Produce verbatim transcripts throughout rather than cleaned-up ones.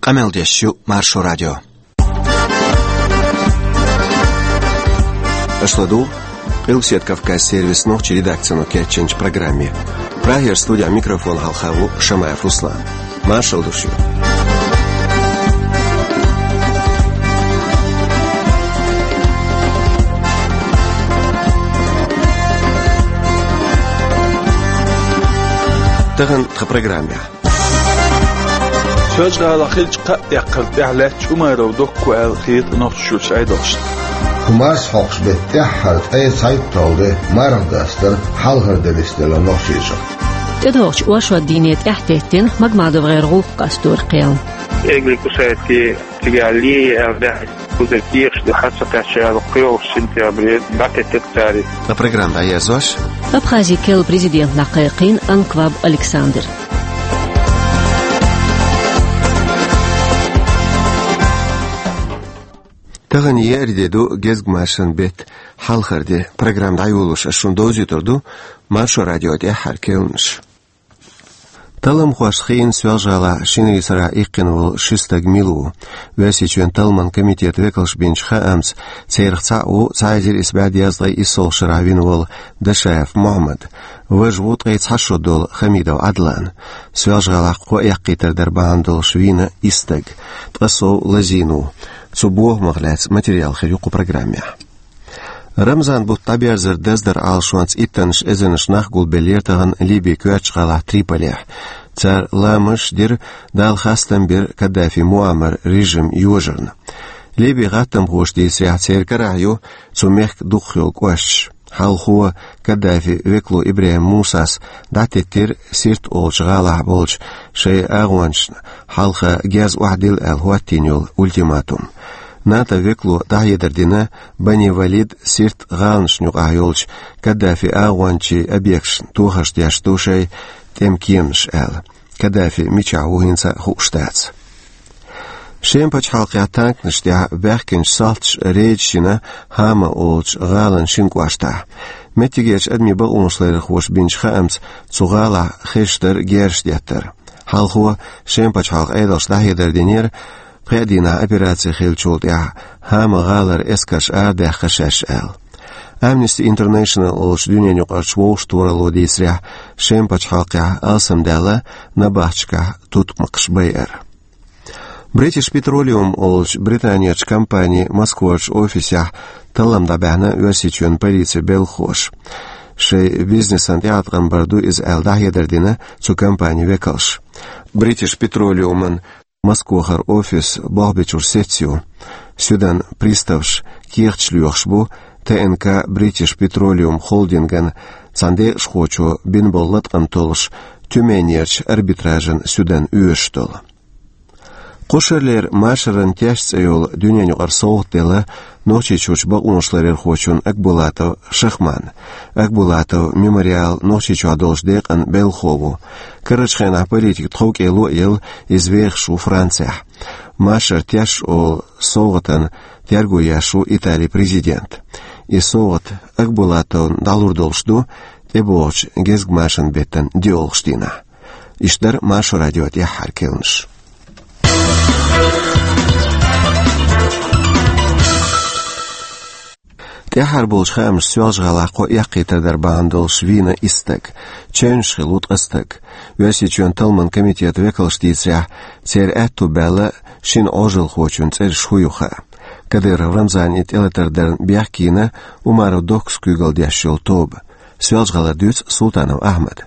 Къамел деш ю Маршо радио. Аша ладугӀу Къилбаседа Кавказ сервисан нохчийн редакцино кечйинчу программе. Прагера студехь микрофон хьалха ву Шамаев Руслан. Маршалла ду шуьга. Тахана тхан программехь. Соьлжа-ГӀалахь хиллачу кхаа эккхар тӀехь лаьтташ Умаров Докко аьлла хета Нохчийчуьрчу Ӏедалшна. ХӀуманаш хьокхуш беттехь хьара ткъе цхьайтта долу де марха дастар хьалхара де нисделла Нохчийчохь. ТӀедогӀучу оршот дийне тӀаьхьатеттина МагмадовгӀеран гӀуллакх къасторан кхел. Эгли кусайти цигахь ле аьлла даьхьа кхузара кехаш ду, хьан ца кхаьчча аьлла кхоалгӀачу сентябре дӀатеттира цара. Ткъа программа дӀаерзош. Абхазин керла президент дӀакхайкхийна Анкваб Александр. Тахана еара де ду, гезгмашин беттан хьалхара де. Программа дӀайолош ас шуна довзуьйтур ду Маршо радион тӀаьххьара керланаш. Талламхошна хиъна Соьлжа-ГӀалахь шинарин сарахь иккхина волу ши стаг мила ву. Оьрсийчоьнан талламан комитетан векалша бинчу хаамца, царах цхьаъ ву цхьа эзар исс бӀе дезткъе иссолгӀачу шарахь вина волу Дашаев Мухьаммад. Важа ву ткъе цхьа шо долу Хамидов Ӏадлан. Соьлжа-ГӀалахь кхо эккхийтар дар бахьана долуш вийна исс стаг. Ткъа сов лазийна ву. Цу бохамах лаьцна материал хир ю кху программехь. Рамзан-бутт дӀаберзар даздаран Ӏалашонца иттаннаш эзарнаш нах гулбеллера тахана Ливин коьртачу гӀалахь Триполехь. Цара ламазаш дира, Далла хастам бира Каддафи Муаммаран режим йожарна. Ливин гӀаттамхоша дийцарехь, церан карахь ю цу мехкан дукхахйолу кӀошташ. Хьалхо Каддафин векало ИбрахӀим Мусас дӀатеттира Сирт олучу гӀалахь болчу шайн агӀончашна хьалха герз охьадилла аьлла хӀоттийна йолу ультиматум. НАТО-н векало дӀахьедар дина Бани Валид, Сирт гӀаланашна юкъахь йолчу Каддафин агӀончийн объекташна тохарш деш ду шайн тӀеман кеманаш аьлла. Каддафи мичахь ву хӀинца а хууш дац. Шеман пачхьалкхехь танканаш тӀехь баьхкинчу салташа рейд йина Хама олучу гӀалан шина кӀоштахь. Меттигерчу адамийн бакъонаш ларъярхоша бинчу хаамца, цу гӀалахь хезаш дара герзаш деттар. Хьалхо Шеман пачхьалкхан Ӏедалша дӀахьедар динера, пхеа дийнахь операци хиллачул тӀаьхьа Хама гӀалара эскарш арадаьккхира шаьш аьлла. Amnesty International олучу дуьненаюкъарчу вовшахтохаралло дийцарехь, Шеман пачхьалкхехь алсамдаьлла набахташкахь тутмакхаш байар. British Petroleum олучу Британерчу компанин Москварчу офисехь таллам дӀабаьхьна Оьрсийчоьнан полицин белхахоша. Шайн бизнесан тӀеӀаткъам бар ду иза аьлла, дӀахьедар дина цу компанин векалша. British Petroleum-ан Москвахара офис болх бечуьра сецца ю. Суьдан приставаш кехаташ лоьхуш бу Т Н К British Petroleum Holding-ан цхьана декъашхочо бина болу латкъам толлуш Тюменерчу арбитражан суьдан оьшуш долу. Кху шаралера Машаран теш цӀе йолу дуьненаюкъара совгӀат делла Нохчийчуьрчу бакъонаш ларъярхочунна Акбулатов Шахманна. Акбулатов «Мемориал» Нохчийчохь долчу декъан белхахо ву. Карарчу хенахь политик тховкӀело а елла, иза вехаш ву Францехь. Машаран теш олу совгӀатана терго еш ву Италин президент. И совгӀат Акбулатовна дӀалур долуш ду тӀебогӀучу гезгмашин беттан диъолгӀачу дийнахь. Иштта дара Маршо радион тӀаьххьара керланаш. ТӀаьххьара болчу хаамаша, Соьлжа-ГӀалахь кхо эккхийтар дар бахьана долуш вийна исс стаг. Чевнаш хилла ву ткъа стаг. Оьрсийчоьнан талламан комитетан векалша дийцарехь, церан аьтту баьлла шина Ӏожалхочун цӀераш хӀун ю хаьа. Кадыров Рамзана тӀелатар дарна бехке йина Умаров Доккас куьйгалла деш йолу тоба. Соьлжа-ГӀалара дуьйцу Султанов Ахьмада.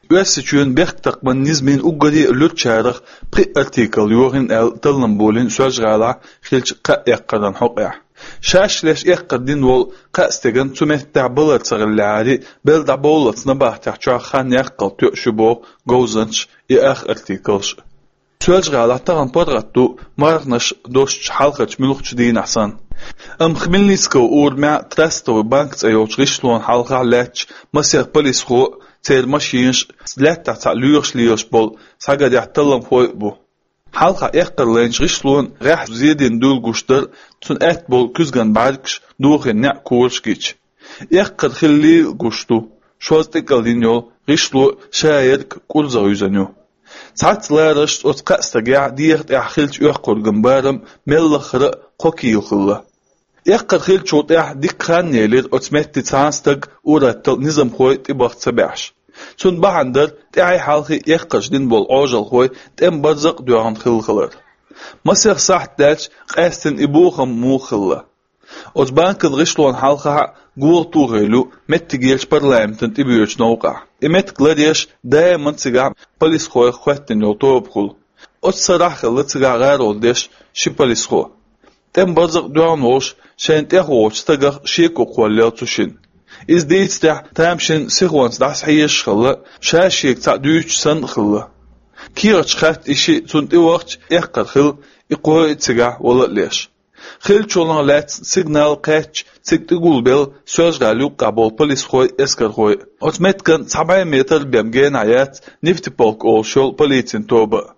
Оьрсийчоьнан бехктакхаман низамийн уггаре а луьрачарах пхи артикл йохийна аьлла таллам болийна Соьлжа-ГӀалахь хиллачу кхаа эккхаран хьокъехь. Шаьш леш эккхар дина волу кхаа стеган цу меттехь балар ца хиллехьара, белла дӀабовллалц набахтехь чохь хан яккхал тоьуш ю боху говзанчаша и ах артиклаш. Соьлжа-ГӀалахь тахана паргӀат ду марханаш доссучу хьалхарчу муьлххачу дийнахь санна. Амма Хмельницкого урамехь Трастовый банк цӀе йолчу гӀишлонна хьалхахь лаьтташ масех полисхо а, церан машинаш а, лаьттахь цхьаъ лоьхуш лелаш болу схьагарехь талламхой а бу. Хьалха эккхар лайначу гӀишлонна гӀеххьа зен дина дуьйла гуш дара цуьнан аьтта болу куьзган бӀаьргаш, дохийна неӀ, кораш гича. Эккхар хиллийла гуш ду, шозза тӀекӀал йина йолу гӀишло шаерг кӀурзах юьзна ю. Цхьацца лараршца оцу кхаа стагехь деха тӀехь хиллачу эккхурган барам мел лаххара а кхо кийла хилла. Эккхар хиллачул тӀаьхьа дикка хан елира оцу метте цхьана стаг, ур-атталла низамхой тӀебаха ца баьхьаш. Цунна бахьана дара тӀаьхьий-хьалхий эккхарш дина болу Ӏожалхой тӀеман барзакъ а доьгӀна хилла хилар. Масех сахьт даьлча къаьстина и бохам муха хилла. Оцу банкан гӀишлонна хьалхахь а гула тухийла ю меттигерчу парламентана тӀебоьдучу новкъахь. И меттиг ларъеш даиман цигахь полисхойх хоьттина йолу тобахула. Оцу сарахь а хилла цигахь гӀаролла деш ши полисхо. ТӀеман барзакъ доьгӀна волуш, шайна тӀехволучу стагах шеко кхоллаелла цу шинна. Иза дийцарехь, тамашийна сихонца дӀасахьежаш а хилла, ша шега цхьаъ дуьйцуш санна а хилла. КехатӀа хатта и шиъ цунна тӀевахча, эккхар хилла и кхоъ а цигахь вала а леш. Хиллачунах лаьцна сигнал кхаьчча, цига тӀегулбелла Соьлжа-ГӀалин юккъехь болу полисхой а, эскархой а. Оцу меттиган цхьа бӀе метр бен генахь яц Нефтеполк олуш йолу полицин тоба а.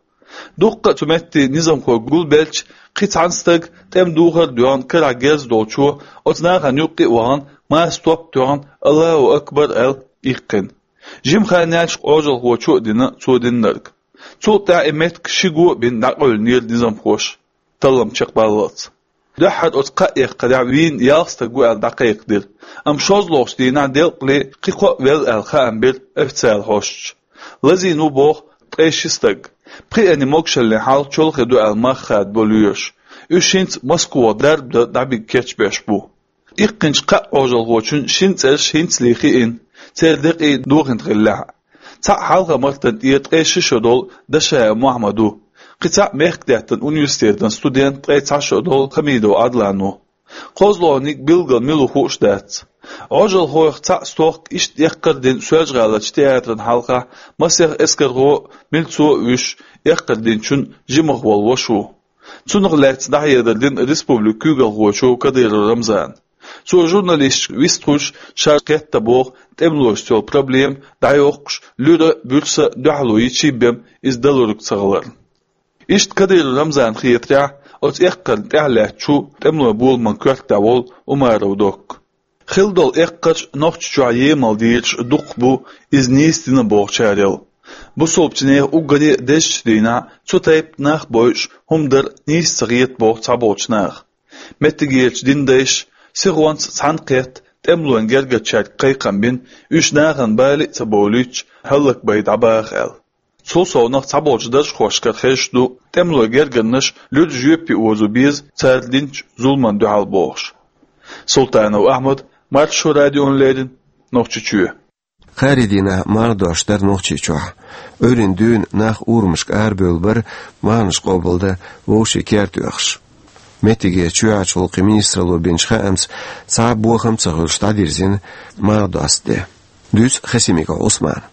Дуккха а цу метте низамхой гулбелча, кхин цхьана стага тӀеман духар а доьгӀна карахь герз долчо, оцу нахана юккъе а вахана, маса топ а тоьхна, «Аллаху акбар» аьлла, иккхина. Жима хан яьлча Ӏожалхочо а дина цо динарг. Цул тӀаьхьа и меттиг ши го а бина дӀакъевлинера низамхоша, таллам чекхбаллалц. Дуьххьара оцу кхаа эккхарехь вийна ялх стаг ву аьлла дӀакхайкхадира, амма шозлагӀчу дийнахь делкъале кхин кхоъ велла аьлла хаам бира официалан хьосташа. Лазийна ву боху ткъе ши стаг. Пхиъанийн могушаллин хьал чолхе ду аьлла мах хадабо лоьраша. Уьш хӀинца Москвахь дарба дан дӀабига кечбеш бу. Иккхинчу кхаа Ӏожалхочун шина цӀераш хӀинцале хиъна, церан декъий дохийна хиллехь а. Цхьаъ Хьалха-Мартан тӀера ткъе ши шо долу Дашаев Мохьмад ву, кхин цхьаъ мехкдаьттан университетан студент, ткъе цхьа шо долу Хамидов Ӏадлан ву. КхозлагӀниг билггал мила ву хууш дац. Ӏожалхойх цхьаъ стохка иштта эккхар а дина Соьлжа-ГӀаларчу театран хьалхахь масех эскархо а, милцо а вуьйш, эккхар динчун жимах волу ваша ву. Цунах лаьцна дӀахьедар дина республикан куьйгалхочо Кадыров Рамзана. Цо журналисташка вистхуьлуш, шарахь кхетта боху тӀемалошца йолу проблема дӀайоккхуш, луьра а, буьрса а дуьхьало йичий бен иза далург ца хиларна. Иштта Кадыров Рамзанна хетарехь, оцу эккхарна тӀаьхьалаьцначу тӀемалойн боламан коьртехь волу Умаров Докка. Хилла долу эккхарш Нохчийчохь емал дийраш дукха бу, иза нийса дина бохучарел. Бусалбачу нехан уггаре а дезачу дийнахь цу тайпа нах бойуш хӀума дар нийса ца хета боху цхьаболчу наха. Меттигерчу динан дайша сихонца цхьаьна кхетта, тӀемалойн гергарчаьрга кхайкхам бина, уьш нахана бала а ца бовлуьйтуш, хӀаллакбай дӀабаха аьлла. Цул совнаха цхьаболчу даржхошкара хезаш ду, тӀемалойн гергарнаш луьра жоьпе озо беза цара динчу зуламна дуьхьал бохуш. Султанов Ахьмад, Маршо радиона леррина, Нохчийчоь. Кхаарин дийнахь марха дош дара Нохчийчохь. Ӏуьйранна дуьйна нах урамашка арабевлла бара, марханаш къобалдан вовшийн керта оьхуш. Меттигерчу чоьхьарчу гӀуллакхийн министралло бинчу хаамца, цхьа а бохам а ца хуьлуш, дӀадирзина марха достан де. Дуьйцу Хасимиков Ӏусмана.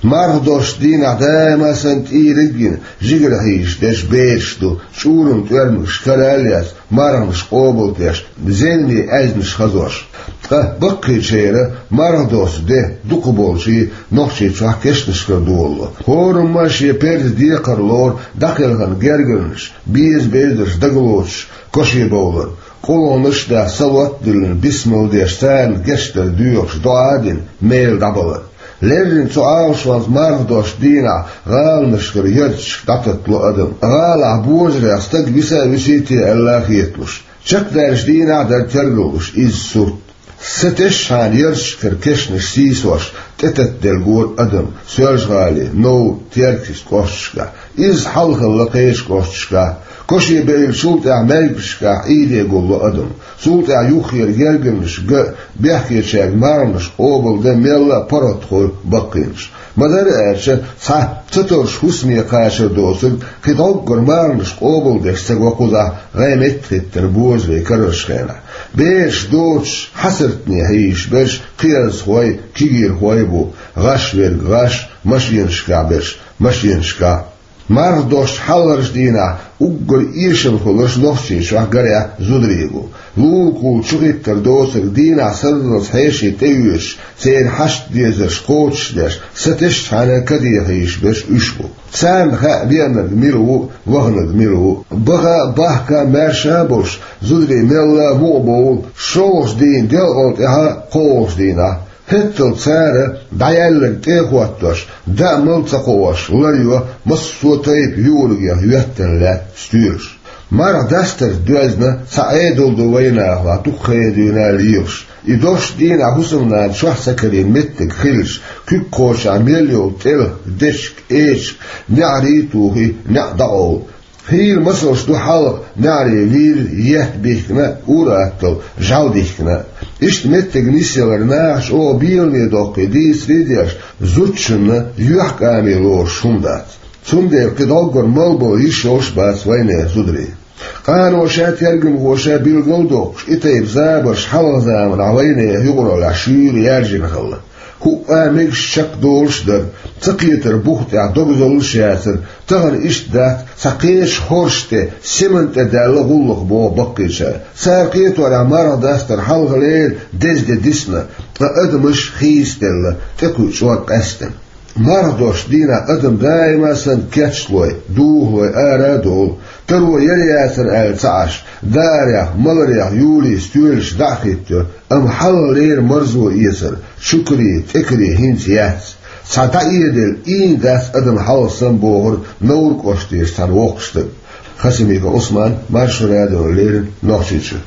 Марха досту дийнахь даима а санна тӀийриг а гина, жигара хьийзаш дерш бераш ду, чӀуран тӀоьрмигаш карал а яц, марханаш къобалдеш, зеламе аьзнаш хазош. Ткъа баккхийчеран марха досту де дукхахболчийн Нохчийчохь кешнашкара долало. ХӀораммо а шен перзан декхар лору дӀакхелхина гергарнаш, беза-безарш дагалоцуш, кошебовлар. КъулгӀанаш а даьхна, салот а диллина, бисмал деш, царна гечдар доьхуш, доӀа а дина, мела дӀабалар. Леррина цу Ӏалашонца марха досту дийнахь гӀаланашкара ярташка дӀататтало адам. ГӀалахь божарех стаг виса а висий те аьлла а хеталуш. Чекхдаьллачу дийнахь а дара тергаллуш изза сурт. Са тешначхьана ярташкара кешнаш сийсош, тӀетаттаделла гора адам Соьлжа-ГӀалин, Новр, Теркйист кӀошташкахь. Изза хьалхалла кхечу кӀошташкахь. Кошебевллачул тӀаьхьа маьркӀажкахь Ӏийде гулло адам. Цул тӀаьхьа юххера гергарнаш ган а, бехкечаьрга марханаш къобалдан мелла а паргӀатхой баккхийнаш. Ма-дарра аьлча, цхьа ца товш хӀусаме кхачар доцург кхин дӀоггара марханаш къобалдеш ца го кхузахь гӀеметтиг хӀиттар божарий карарчу хенахь. Бераш доцуш, хьасартане хьийзаш берш кхиазхой, кегийрхой а бу, гӀаш верг гӀаш, машенашкахь берш машенашкахь. Марха досту хьалхарчу дийнахь уггар эшам хуьлурш Нохчийчохь, гарехь, зударий бу. Лулахула чухӀиттар доцург дийнахь сарралц хьеший тӀеоьшуш, церан хьашт-дезарш кхочушдеш, са тешначхьана каде хьийзаш берш уьш бу. Царна хаьа веанарг мила ву, ваханарг мила ву. Баха а, бахка а, маьрша а болуш, зударий мелла а мукъа бовла шолгӀачу дийнан делкъал тӀаьхьа кхоалгӀачу дийнахь. ХӀеттал цара дӀаяьлларг тӀе а хӀоттош, даа мала ца кхоош, лар йо массо а тайпа юургех йоьттан лаьтта стоьлаш. Марха дастарца доьзна цхьа Ӏедал ду вайнахалахь, дукха ха дуьйна лехаш. И дош дийнахь хӀусамнана чохь ца карийна меттиг хилча, куьг кхочахь мел йолу тӀелх, дечиг, эчиг, неӀарий а тухий, неӀ дӀакъовла. Хийла масалш ду хьалха неӀарий вийр, етт бихкина а, ур-атталла жӀаьла дихкина а. Иштта меттиг нисъялар наха чӀогӀа беламе доккхий дийцаре а деш, зудчунна юьхькӀаме лоруш хӀума дац. Цундела кхин дӀоггара мала болу йиш йолуш а бац вайнехан зударийн. Къано ша тергамхоша билгал а доккхуш, и тайпа забарш хьалха заманахь вайнехан юкъараллехь шуьйра яьржина хилла. ХӀуъа мегаш чекхдолуш а дара, ца кхетар бух тӀехь догзаллаш яцара, тахана иштта дац, цхьа кхечу хорша тӀе, семан тӀе даьлла гӀуллакх боху баккхийчара. Цара кхеторехь марха дастар хьалхалера деза де дисна, ткъа адамаш хийцаделла, тӀекхуьу чӀор къаьстина. Марха дош дийнахь адам даима санна кечлой, духалой ара а долу, таро яра яцара аьлла ца Ӏаш, даарех, маларех юлий стоьлаш дӀа а хӀиттайо, амма хьалхалера марзо эцар, чукарий, тӀекарий хӀинца яц. Цхьа дӀаэделла ийна дац адам хьалха санна, бохура Невран кӀоштера цхьана воккхачу стага. Хасимиков Ӏусман, Маршо радиона леррина, Нохчийчоь.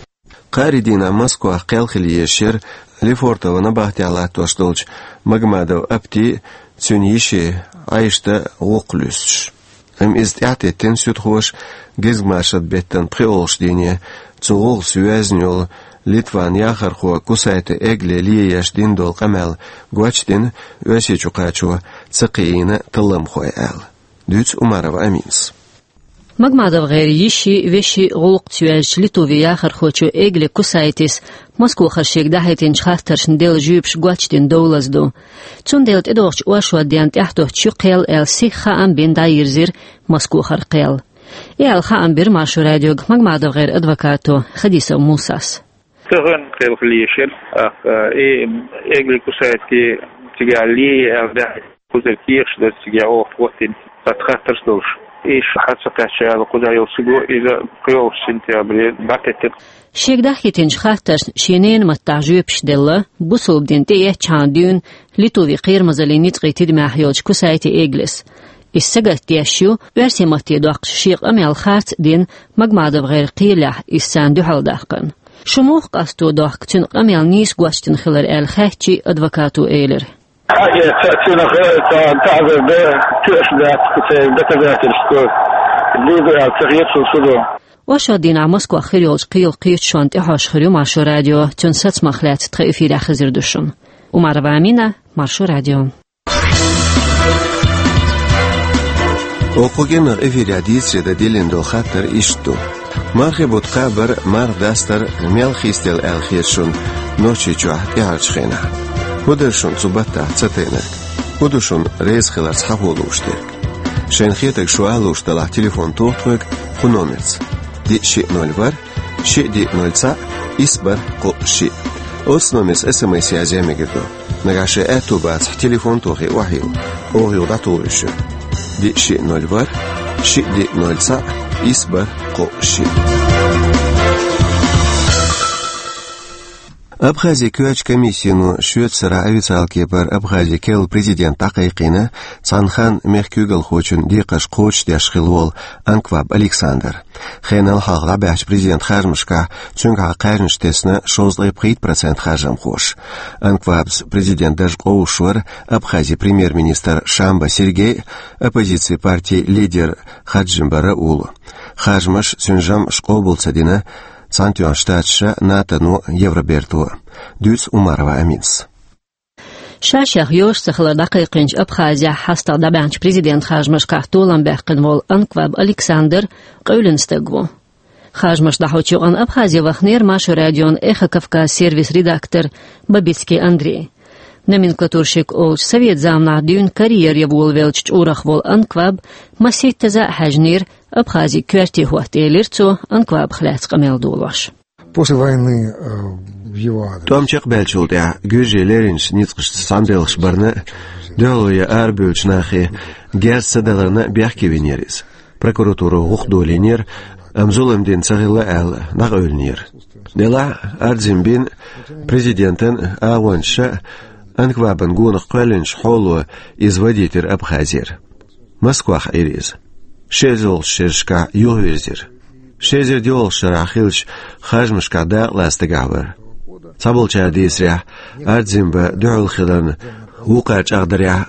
Кхаарин дийнахь Москвахь кхел хила езаш яра Лефортово набахтехь латтош долчу Магомадов Апти а, цуьнан йиши Ӏайшата а гӀуллакх луьстуш. Амма иза тӀаьхьатеттина суьдхоша гезгмашат беттан пхоьалгӀачу дийне, цу гӀуллакхца йоьзна йолу Литван яхархо Кусайта Эгле ле еш дина долу къамел гочдина, Оьрсийчу кхачо ца кхиийна талламхой аьлла. Дуьйцу Умарова Аминас. МагомадовгӀеран йиши, веши гӀуллакхца йоьзначу Литван яхархочо Эгле Кусайтис Москвахара шега дӀахӀиттинчу хаттаршна делла жоьпаш гочдина довлаза ду. Цундела тӀедогӀучу оршотдийнна тӀаьхьадоьттуш ю кхел аьлла сиха хаам бина дӀайирзира Москвахара кхел. И аьлла хаам бира Маршо радиога МагомадовгӀеран адвокато Хадисов Мусас. Тахана кхел хила езаш яра, тӀаккха и Эгле Кусайти цигахь ле аьлла даьхьа кхузара кехаш дара цигахь оха хӀоттийна. Цхьа хаттарш долуш. Иштта хьа ца кхаьчча аьлла кхузахь йолу стага, иза кхоалгӀачу сентябре дӀатеттира. Шега дӀахӀиттинчу хаттаршна шен ненан маттахь жоьпаш делла, бусалба дин тӀеэцчахьана дуьйна Литван кхерамазаллин ницкъийн тидамехь йолчу Кусайти Эглес. Иза сагатдеш ю, оьрсийн матте доккхуш шен къамел харц а дина, МагомадовгӀеран кхелехь иза царна дуьхьал даккхарна. Шу муха къасто дохку цуьнан къамел нийса гочдина хилар аьлла хаьттича, адвокато элира: Хьаэца цунах цхьа таӀзар дан тоьаш дац, кху церан доказательство лело аьлла ца хета суна судо. Оршотдийнахь Москвахь хир йолчу кхелан кхеташонна тӀехьожуш хир ю Маршо радио, цуьнан сацамах лаьцна тхан эфирехь хезар ду шуна. Умарова Амина, Маршо радио. Оха кху кӀиранах эфирехь дийцаре дан диллина долу хаттар иштта ду: мархийн бутт кхабар, марха дастар мел хийцаделла аьлла хета шуна Нохчийчохь тӀаьхьарчу хенахь? ХӀун дара шуна цу баттахь ца тайнарг? ХӀун ду шуна реза хиларца хьахо лууш дерг? Шайна хетарг шу ала лууш делахь, телефон тоха тхоьга кху номерца: диъ шиъ ноль ворхӀ, шиъ диъ ноль цхьаъ, исс бархӀ кхоъ шиъ. Оцу номерца эс эм эс язъян мегар ду. Нагахь шайн аьтту бацахь, телефон тохий охьайилла, оха юха дӀатухур ю шуьга. Диъ шиъ ноль ворхӀ, шиъ диъ ноль цхьаъ, исс бархӀ кхоъ шиъ. Абхазин коьртачу комиссино шоьтан сарахь официалан кепара Абхазин керла президент дӀакхайкхийна, цхьана ханна мехкан куьйгалхочун декхарш кхочушдеш хилла волу Анкваб Александр. Хенал хьалха дӀабаьхьначу президентан харжамашкахь цуьнгахьа кхаьжнаш тесна шовзткъе пхийтта процент харжамхоша. Анквабца президент дарж къовсуш вара Абхазин премьер-министр Шамба Сергей а, оппозицин партин лидер Хаджимба Раул а. Харжамаш, цуьнан жамӀаш къобал ца дина Цхьаьнатоьхначу Штаташа, НАТО-но а, Евроберто а. Дуьйцу Умарова Аминас. Ша-шех йозуш ца хилар дӀакхайкхийначу Абхазехь хьастагӀа дӀабаьхьначу президентан харжамашкахь толам баьккхина волу Анкваб Александр къевлина стаг ву. Харжамаш дӀахьочу юкъанна Абхазе ваханера Маршо радион Эхо Кавказ сервисан редактор Бабицкий Андрей. Номенклатурщик олучу, совет заманахь дуьйна карьера ян волавеллачу чкъурах волу Анкваб масийттаза а хьаьжнера Абхазин коьрте хӀотта, элира цо, Анквабах лаьцна къамел долош. После войны, э, в его адрес. ТӀом чекхбаьллачул тӀаьхьа гуьржийн леринчу ницкъашца цхьаьнабелхаш барна а, дуьхьало ян арабевллачу нахе герз ца даларна а бехке винера иза. Прокуратуро гӀуллакх долийнера, амма зулам дина ца хилла аьлла, дӀакъевлинера. Делахь а, Арзимбин, президентан агӀончаша а, Анквабан гонах кхоьллинчу хьоло иза вадийтира Абхазера. Москвахь Ӏийра иза. Ши эзар долчу шерашкахь юхавирзира. Ши эзар доьалгӀачу шарахь хиллачу харжамашкахь дакъалаца дагахь вара. Цхьаболчара дийцарехь, Ардзинба дуьхьал хиларна вукхара чӀагӀдарехь,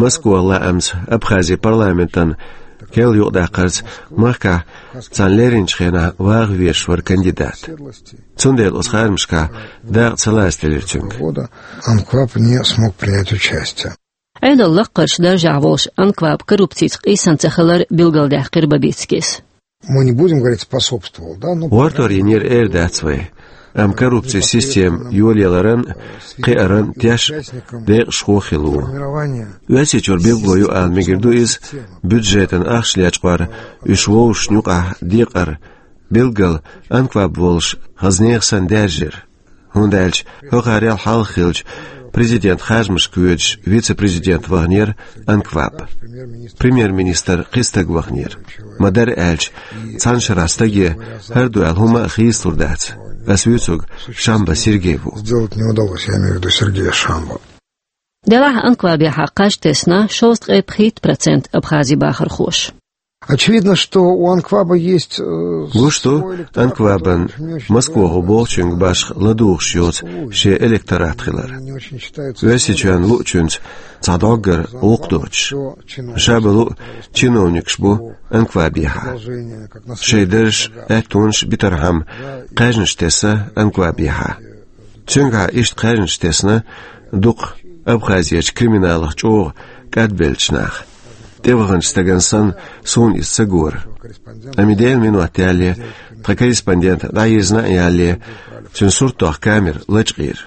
Москван лаамца Абхазин парламентана керла юкъадаккхарца махкахь царна леринчу хенахь ваха везаш вара кандидат. Цундела оцу харжамашкахь дакъа ца лацделира цуьнга. Анкваб не смог принять участие. Ӏедалан лакхарчу даржехь волуш Анкваб коррупцица къийсина ца хилар билгалдаьккхира Бабицкис. Мы не будем говорить, способствовал, да, но ГӀортор йинера эр дац вай, амма коррупцин система йолаяларан, кхиаран теш декъашхо хилла ву. Оьрсийчуьра билгало ю ала мегар ду иза, бюджетан ахча лечкъор, уьш вовшашна юкъахь декъар, билггал Анкваб волуш хаза нехан санна даьржира. ХӀунда аьлча хӀокхарел хьалха хиллачу президент харжамашка воьдуш вице-президент ваханера Анкваб. Премьер-министр кхин стаг ваханера. Ма-дарра аьлча, цхьана шарахь стаге хӀара ду аьлла хӀума а хийцалур дац. Ас вуьйцург Шамба Сергей ву. Сделать не удалось, я имею в виду Сергея Шамбу. Делахь Анквабехьа кхаж тесна шовзткъе пхийтта процент Абхазин бахархоша. Очевидно, что у Анкваба есть, э, Гуш ду, свой электорат, Анквабан который очень, очень Москвахо бохучуьнга башха ладугӀуш йоцу шен электорат хилар. Не очень считается. Оьрсийчоьнна луучуьнца цхьа доггар гӀуллакх доцуш. Ша бан луъ чиновникаш бу Анквабехьа. Шайн даржаш, аьттонаш битархьама кхаьжнаш тесна Анквабехьа. Цуьнгахьа иштта кхаьжнаш тесна дукха Абхазерчу криминалах чӀогӀа кӀадбеллачу наха. ТӀеваханчу стагана санна, суна иза ца гора. Амма Делан минот ялале, тхан корреспондент дӀайирзина а ялале, цуьнан суртах камера лачкъийра.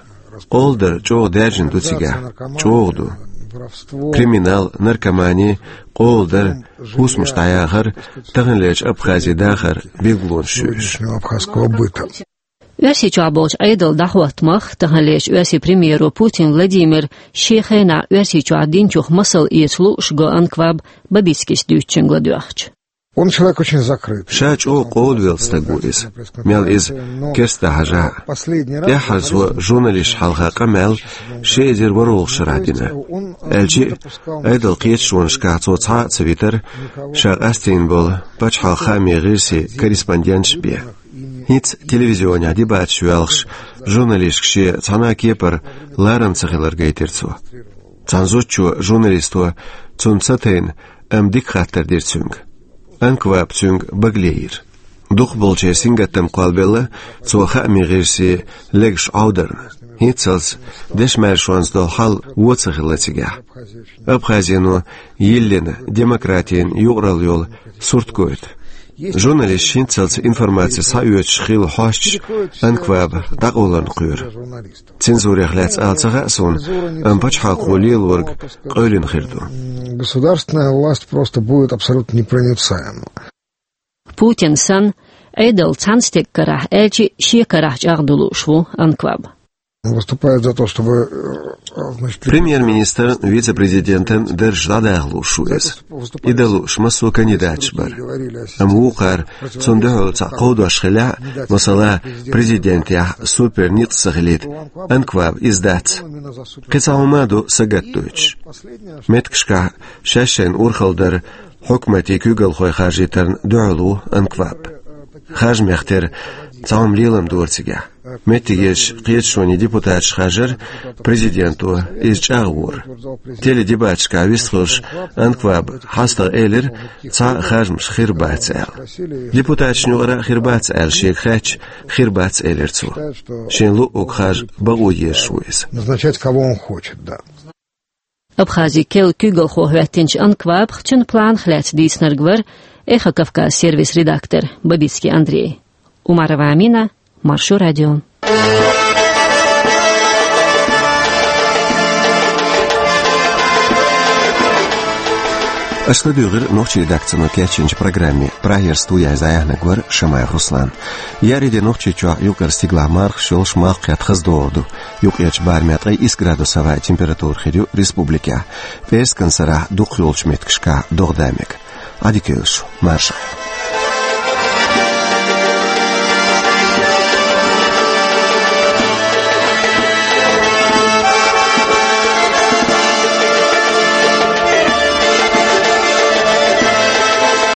Къола дар чӀогӀа даьржина ду цигахь, чӀогӀа ду. Криминал, наркомани, къола дар, хӀусамаш дӀаяхар таханлерчу Абхазин дахаран билгалонаш ю уьш. Абхазского быта. Оьрсийчохь болчу Ӏедалан дӀахӀоттамах, таханлерчу оьрсийн премьеро Путин Владимира шен хенахь Оьрсийчохь динчух масал эца лууш го Анкваб, Бабицкис дуьйцучуьнга ладоьгӀча. Он человек очень закрыт. Ша чӀогӀа къовлавелла стаг ву иза, мел иза керста хьажахь а. ТӀаьххьара цо журналисташна хьалха къамел ши эзар ворхӀалгӀачу шарахь дина. Аьлча а, Ӏедалан кхеташонашкахь цо цхьа а ца витира ша къастийна болу пачхьалкхан хаамийн гӀирсийн корреспонденташ бен. ХӀинца телевизионехь дебаташ воьлхуш, журналистка шен цхьана а кепара ларам ца хилар гайтира цо. Цхьана зудчо журналисто цунна ца тайна, амма дика хаттар дира цуьнга. Анкваб цуьнга багале йира. Дукхахболчеран сингаттам кхоллабелла цо хаамийн гӀирсийн легаш Ӏовдарна. ХӀинццалц дешан-маьршонца долу хьал вон ца хилла цигахь. Абхазино йиллина демократин юкъаралла йолу сурт гойту. Журналисташ хӀинццалц информаци схьаоьцуш хилла хьосташ Анкваба дӀакъовларна кхоьру. Цензурех лаьцна ала ца хаьа суна, амма пачхьалкхо лелориг къевлина хир ду. Государственная власть просто будет абсолютно непроницаема. Путин санна, Ӏедал цхьана стеган карахь, аьлча а шен карахь чӀагӀдо лууш ву Анкваб. Выступает за то, чтобы, э, значит, Премьер-министран, вице-президентан даржаш дӀадаха лууш ву иза. И дан лууш массо а кандидаташ бара. Амма вукхара цунна дуьхьал цхьаъ кховдош хилла, масала, президентехь супер ницкъ ца хилийта, Анкваб иза дац. Кхин цхьа хӀума а ду сагатдойтуш. Меттигашкахь шаьш шайна урхалла дар хьукматийн куьйгалхой харжийтарна дуьхьал ву Анкваб. Харжамех тера цхьа хӀума лелам дора цигахь. Меттигерчу кхеташонийн депутаташ харжар президенто иза чӀагӀвора. Теледебаташкахь вистхуьлуш Анкваба хьастагӀа элира, цхьа а харжамаш хир бац аьлла. Депутаташна юкъара а хир бац аьлла шега хаьттича, хир бац элира цо. Шен луъург харжа бакъо езаш ву иза. Назначать, кого он хочет, да. Абхазин керла куьйгалхо хӀоьттинчу Анквабах, цуьнан планах лаьцна дийцинарг вара Эхо Кавказ сервисан редактор Бабицкий Андрей. Умарова Амина, Маршо радио. Аша ладуьйгӀира нохчийн редакцино кечйинчу программе. Прагера студехь иза яьхьнарг вара Шамаев Руслан. Еарин де Нохчийчохь юккъера стигалахь мархаш йолуш, малх кхетта хаза догӀур ду. Юккъерчу барамехь ткъе исс градус хӀаваан температура хир ю республикехь. ПӀераскан сарахь дукхах йолчу меттигашкахь догӀа да мега. Ӏадика йойла шу, марша.